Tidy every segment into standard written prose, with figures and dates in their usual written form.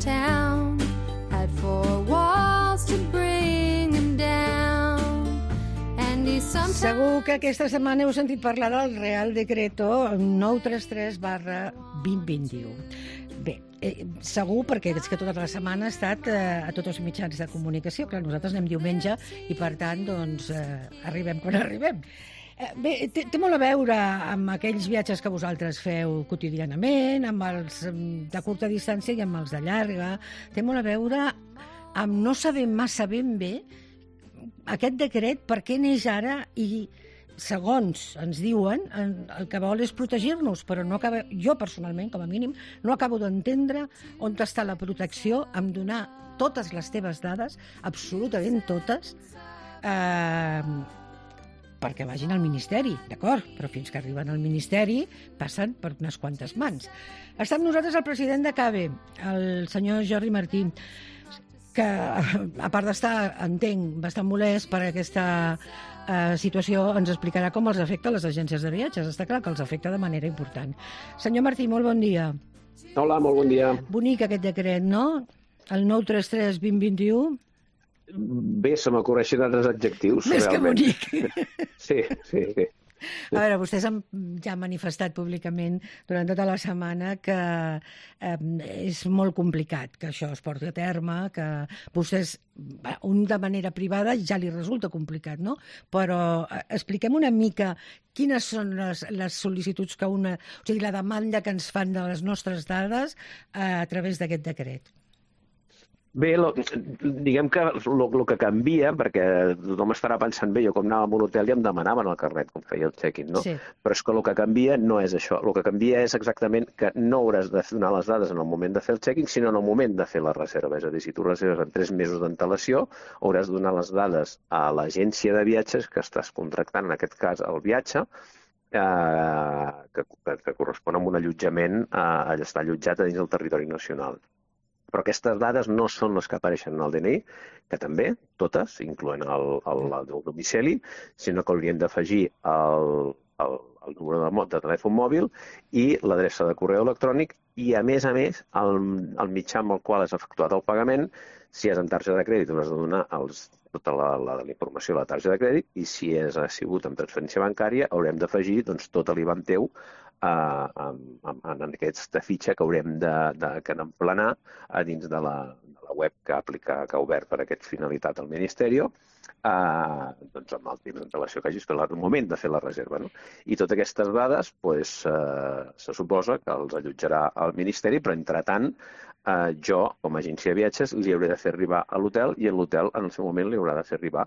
town had four walls to bring him down. And he sometimes... Segur que aquesta setmana heu sentit parlar del Real Decreto 933/2021. Bé, segur, perquè és que tota la setmana ha estat a tots els mitjans de comunicació. Clar, nosaltres anem diumenge i, per tant, doncs, arribem quan arribem. Bé, té molt a veure amb aquells viatges que vosaltres feu quotidianament, amb els de curta distància i amb els de llarga. Té molt a veure amb no saber massa ben bé aquest decret per què neix ara i, segons ens diuen, el que vol és protegir-nos, però no acaba, jo personalment, com a mínim, no acabo d'entendre on està la protecció en donar totes les teves dades, absolutament totes, perquè vagin al Ministeri, d'acord, però fins que arriben al Ministeri passen per unes quantes mans. Està amb nosaltres el president de CABE, el senyor Jordi Martí, que, a part d'estar, entenc, bastant molest per aquesta situació, ens explicarà com els afecta les agències de viatges. Està clar que els afecta de manera important. Senyor Martí, molt bon dia. Hola, molt bon dia. Bonic aquest decret, no? El 933/2021. Bé, se m'ocorreixen altres adjectius, més realment. Que bonic. Sí. A veure, vostès ja han manifestat públicament durant tota la setmana que és molt complicat que això es porti a terme, que vostès, de manera privada, ja li resulta complicat, no? Però expliquem una mica quines són les sol·licituds que o sigui, la demanda que ens fan de les nostres dades a través d'aquest decret. Bé, diguem que el que canvia, perquè tothom estarà pensant, bé, jo com anava a un hotel i em demanaven el carnet, com feia el check-in, no? Sí. Però és que el que canvia no és això. El que canvia és exactament que no hauràs de donar les dades en el moment de fer el check-in, sinó en el moment de fer la reserva. És a dir, si tu reserves en 3 mesos d'antelació, hauràs de donar les dades a l'agència de viatges que estàs contractant, en aquest cas, el viatge, que correspon a un allotjament a estar allotjat a dins del territori nacional. Però aquestes dades no són les que apareixen en el DNI, que també, totes, incloent el domicili, sinó que haurien d'afegir el número de telèfon mòbil i l'adreça de correu electrònic i, a més, el mitjà amb el qual has efectuat el pagament. Si és en targeta de crèdit, hauràs de donar tota la informació de la targeta de crèdit, i si ha sigut amb transferència bancària, haurem d'afegir tot l'IBAN teu en aquesta fitxa que haurem d'emplenar a dins de la web que ha obert per aquesta finalitat el Ministeri, amb el temps d'antelació que hagis fet al moment de fer la reserva. I totes aquestes dades se suposa que els allotjarà el Ministeri, però entretant jo, com a agència de viatges, li hauré de fer arribar a l'hotel i l'hotel en el seu moment li haurà de fer arribar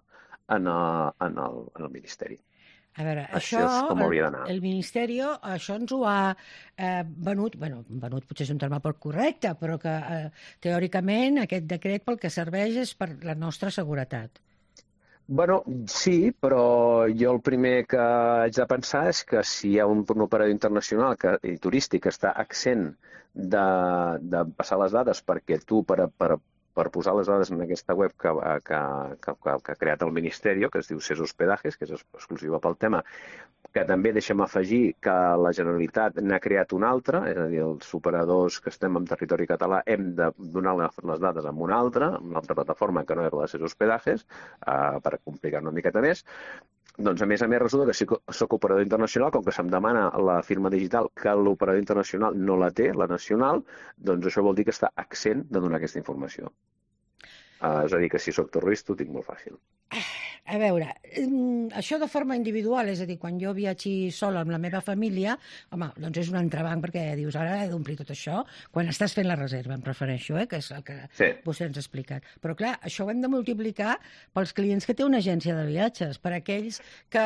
en el Ministeri. A veure, això és com hauria d'anar. El Ministeri això ens ho ha venut potser és un terme poc correcte, però que teòricament aquest decret pel que serveix és per la nostra seguretat. Bueno, sí, però jo el primer que haig de pensar és que si hi ha un operador internacional i turístic que està accent de passar les dades perquè tu, per posar les dades en aquesta web que ha creat el Ministeri, que es diu CES Hospedajes, que és exclusiva pel tema, que també deixem afegir que la Generalitat n'ha creat una altra, és a dir, els operadors que estem en territori català hem de donar les dades en una altra plataforma que no és la CES Hospedajes, per complicar una miqueta més. Doncs, a més, resulta que si soc operador internacional, com que se'm demana la firma digital que l'operador internacional no la té, la nacional, doncs això vol dir que està accent de donar aquesta informació. És a dir, que si soc terrorista ho tinc molt fàcil. A veure, això de forma individual, és a dir, quan jo viatgi sola amb la meva família, home, doncs és un entrebanc perquè dius, ara he d'omplir tot això, quan estàs fent la reserva, em refereixo, que és el que vostè ens ha explicat. Però clar, això ho hem de multiplicar pels clients que té una agència de viatges, per aquells que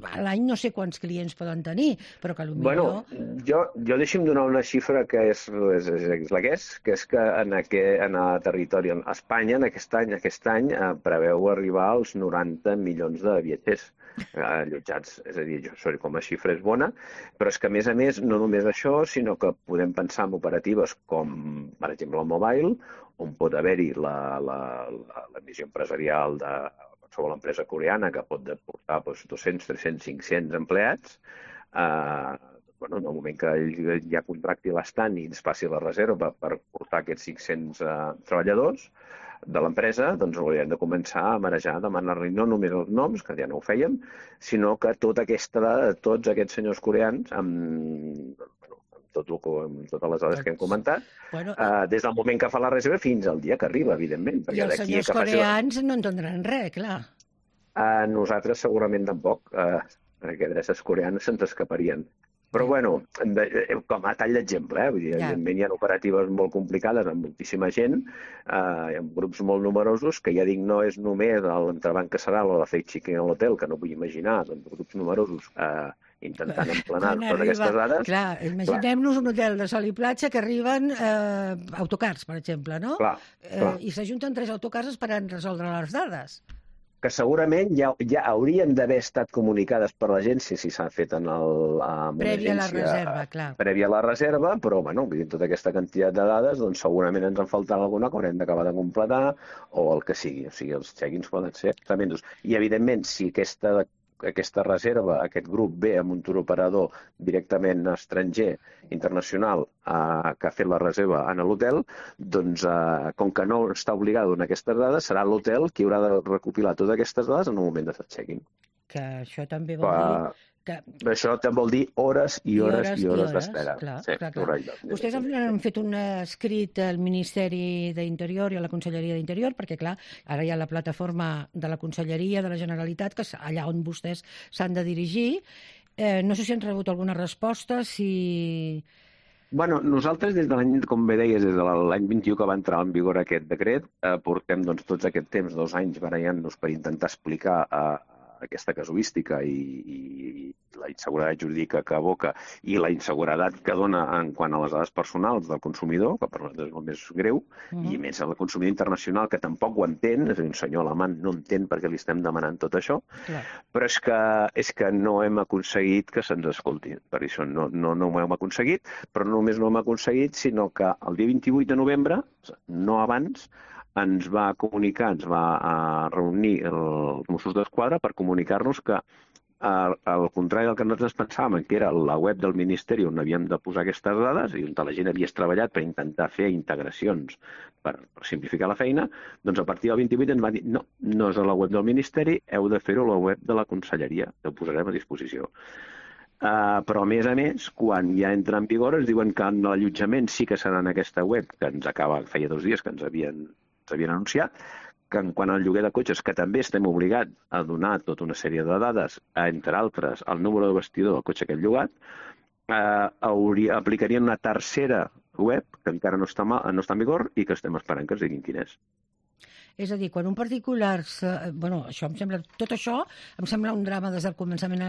a l'any no sé quants clients poden tenir, però que potser... Bueno, jo deixi'm donar una xifra que és la que és que en el territori, a Espanya, aquest any preveu arribar als 90 milions de viatgers allotjats. És a dir, com a xifra és bona, però és que, a més, no només això, sinó que podem pensar en operatives com, per exemple, el Mobile, on pot haver-hi la missió empresarial de qualsevol empresa coreana que pot portar 200, 300, 500 empleats, bueno, en el moment que ell ja contracti l'estant i ens passi la reserva per portar aquests 500 treballadors de l'empresa, doncs hauríem de començar a marejar, a demanar-li no només els noms, que ja no ho fèiem, sinó que tota aquesta dada de tots aquests senyors coreans, amb totes les dades que hem comentat, des del moment que fa la reserva fins al dia que arriba, evidentment. I els senyors coreans no entendran res, clar. Nosaltres segurament tampoc, perquè adreces coreanes se'ns escaparien. Però, bueno, com a tall d'exemple, vull dir, evidentment hi ha operatives molt complicades amb moltíssima gent, amb grups molt numerosos, que ja dic, no és només l'entrebanc que serà o la fake checking a l'hotel, que no vull imaginar, doncs grups numerosos intentant emplenar totes aquestes dades. Clar, imaginem-nos un hotel de sol i platja que arriben autocars, per exemple, no? Clar. I s'ajunten 3 autocars esperant resoldre les dades. Que segurament ja haurien d'haver estat comunicades per l'agència si s'ha fet en prèvia a la reserva, clar. Prèvia a la reserva, però, bueno, tota aquesta quantitat de dades, doncs segurament ens en faltarà alguna que haurem d'acabar de completar o el que sigui. O sigui, els check-ins poden ser tremendos. I, evidentment, si aquesta reserva, aquest grup ve amb un turoperador directament estranger, internacional, que ha fet la reserva en l'hotel, doncs, com que no està obligat a donar aquestes dades, serà l'hotel qui haurà de recopilar totes aquestes dades en un moment de check-in. Que això també vol dir... Això també vol dir hores i hores i hores d'espera. Clar. Vostès han fet un escrit al Ministeri d'Interior i a la Conselleria d'Interior, perquè, clar, ara hi ha la plataforma de la Conselleria de la Generalitat, que és allà on vostès s'han de dirigir. No sé si han rebut alguna resposta, si... Bueno, nosaltres, des de l'any, com bé deies, des de l'any 21 que va entrar en vigor aquest decret, portem tots aquest temps, 2 anys, barallant-nos per intentar explicar aquesta casuística i la inseguretat jurídica que aboca i la inseguretat que dona en quant a les dades personals del consumidor, que per nosaltres és el més greu, i més el consumidor internacional, que tampoc ho entén, és a dir, un senyor alemany no entén per què li estem demanant tot això, però és que no hem aconseguit que se'ns escolti. Per això no ho hem aconseguit, però no només no ho hem aconseguit, sinó que el dia 28 de novembre, no abans, ens va comunicar, ens va reunir els Mossos d'Esquadra per comunicar-nos que, al contrari del que nosaltres pensàvem, que era la web del Ministeri on havíem de posar aquestes dades i on la gent havia treballat per intentar fer integracions per simplificar la feina, doncs a partir del 28 ens va dir no és a la web del Ministeri, heu de fer-ho a la web de la Conselleria, que ho posarem a disposició. Però, a més, quan ja entra en vigor, ens diuen que l'allotjament sí que serà en aquesta web, que ens acaba, feia 2 dies que ens havien anunciat, que en quant al lloguer de cotxes, que també estem obligats a donar tota una sèrie de dades, entre altres el número de vestidor del cotxe que hem llogat, aplicarien una tercera web que encara no està en vigor i que estem esperant que ens diguin quin és. És a dir, quan un particular... Tot això em sembla un drama des del començament...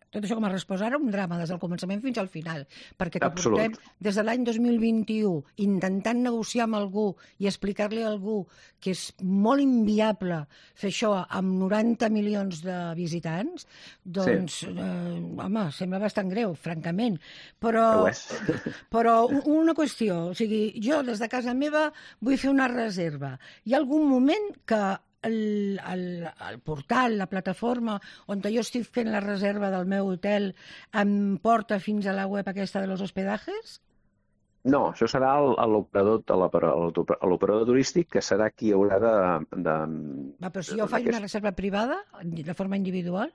Tot això que m'ha respost ara, un drama des del començament fins al final. Perquè que portem des de l'any 2021 intentant negociar amb algú i explicar-li a algú que és molt inviable fer això amb 90 milions de visitants, doncs, home, sembla bastant greu, francament. Però una qüestió, o sigui, jo des de casa meva vull fer una reserva. Hi ha algun moment que el portal, la plataforma on jo estic fent la reserva del meu hotel em porta fins a la web aquesta de los hospedajes? No, això serà l'operador turístic, que serà qui haurà de... Però si jo faig una reserva privada, de forma individual?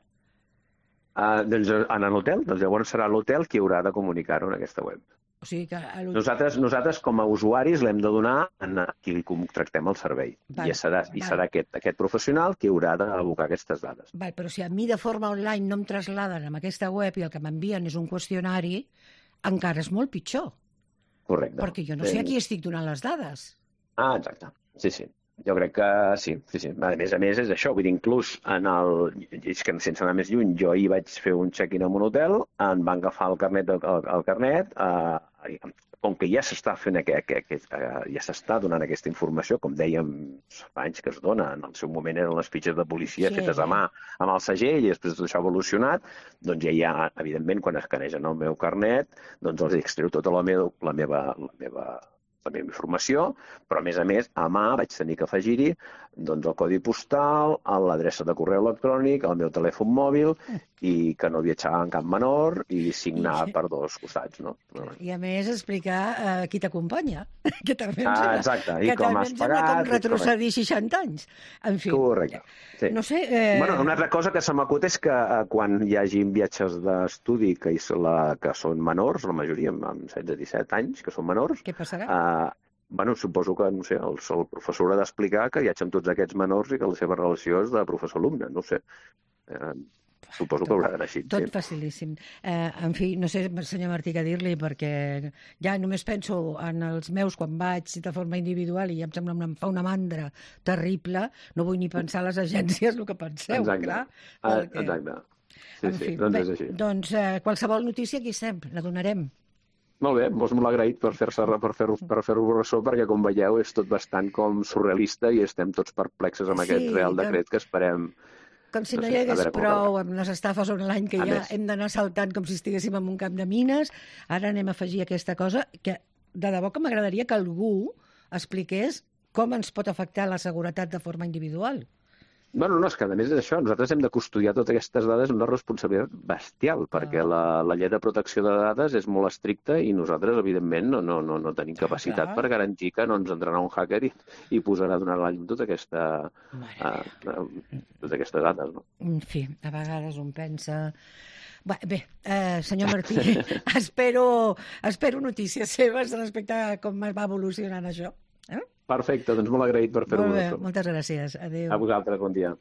Doncs en l'hotel, doncs llavors serà l'hotel qui haurà de comunicar-ho en aquesta web. O sigui que nosaltres com a usuaris l'hem de donar a qui li contractem el servei. I serà aquest professional qui haurà d'abocar aquestes dades. Però si a mi de forma online no em trasladen amb aquesta web i el que m'envien és un qüestionari, encara és molt pitjor. Correcte. Perquè jo no sé a qui estic donant les dades. Exacte. Sí. Jo crec que sí. A més és això, vull dir, inclús és que sense anar més lluny, jo ahir vaig fer un check-in en un hotel, em van agafar el carnet, com que ja s'està fent ja s'està donant aquesta informació, com dèiem fa anys que es dona, en el seu moment eren les fitxes de policia fetes a mà amb el segell i després tot això ha evolucionat, doncs ja hi ha, evidentment, quan escanegen el meu carnet, doncs els extreu tota la meva la meva informació, però a més, a mà vaig tenir que afegir-hi doncs, el codi postal, l'adreça de correu electrònic, el meu telèfon mòbil, i que no viatjava en cap menor, i signar per dos costats. No? I a més explicar qui t'acompanya, que també exacte, i com has pagat. Com retrocedir 60 anys. En fi. Correcte. Sí. No sé... Una altra cosa que se m'acut és que quan hi hagi viatges d'estudi que són menors, la majoria amb 16-17 anys, que són menors... Què passarà? Suposo que, no sé, el professor haurà d'explicar que viatja amb tots aquests menors i que la seva relació és de professor-alumne, no ho sé. Suposo que haurà d'anar així. Tot facilíssim. En fi, no sé, senyor Martí, què dir-li, perquè ja només penso en els meus quan vaig de forma individual i ja em sembla em fa una mandra terrible. No vull ni pensar a les agències el que penseu, clar. Exacte. Sí, doncs és així. Doncs qualsevol notícia aquí estem, la donarem. Molt bé, doncs molt agraït per fer-ho ressò, perquè com veieu és tot bastant com surrealista i estem tots perplexes amb aquest Real Decret que esperem... Com si no hi hagués prou amb les estafes online que ja hem d'anar saltant com si estiguéssim en un camp de mines. Ara anem a afegir aquesta cosa que de debò que m'agradaria que algú expliqués com ens pot afectar la seguretat de forma individual. No, és que a més d'això, nosaltres hem de custodiar totes aquestes dades amb una responsabilitat bestial, perquè la llei de protecció de dades és molt estricta i nosaltres, evidentment, no tenim capacitat per garantir que no ens entrarà un hacker i posarà a donar la llum totes aquestes dades. No? En fi, a vegades un pensa... Bé, senyor Martí, espero notícies seves respecte a com va evolucionant això. Perfecte, doncs molt agraït per fer-ho. Molt bé, moltes gràcies. Adéu. A vosaltres, bon dia.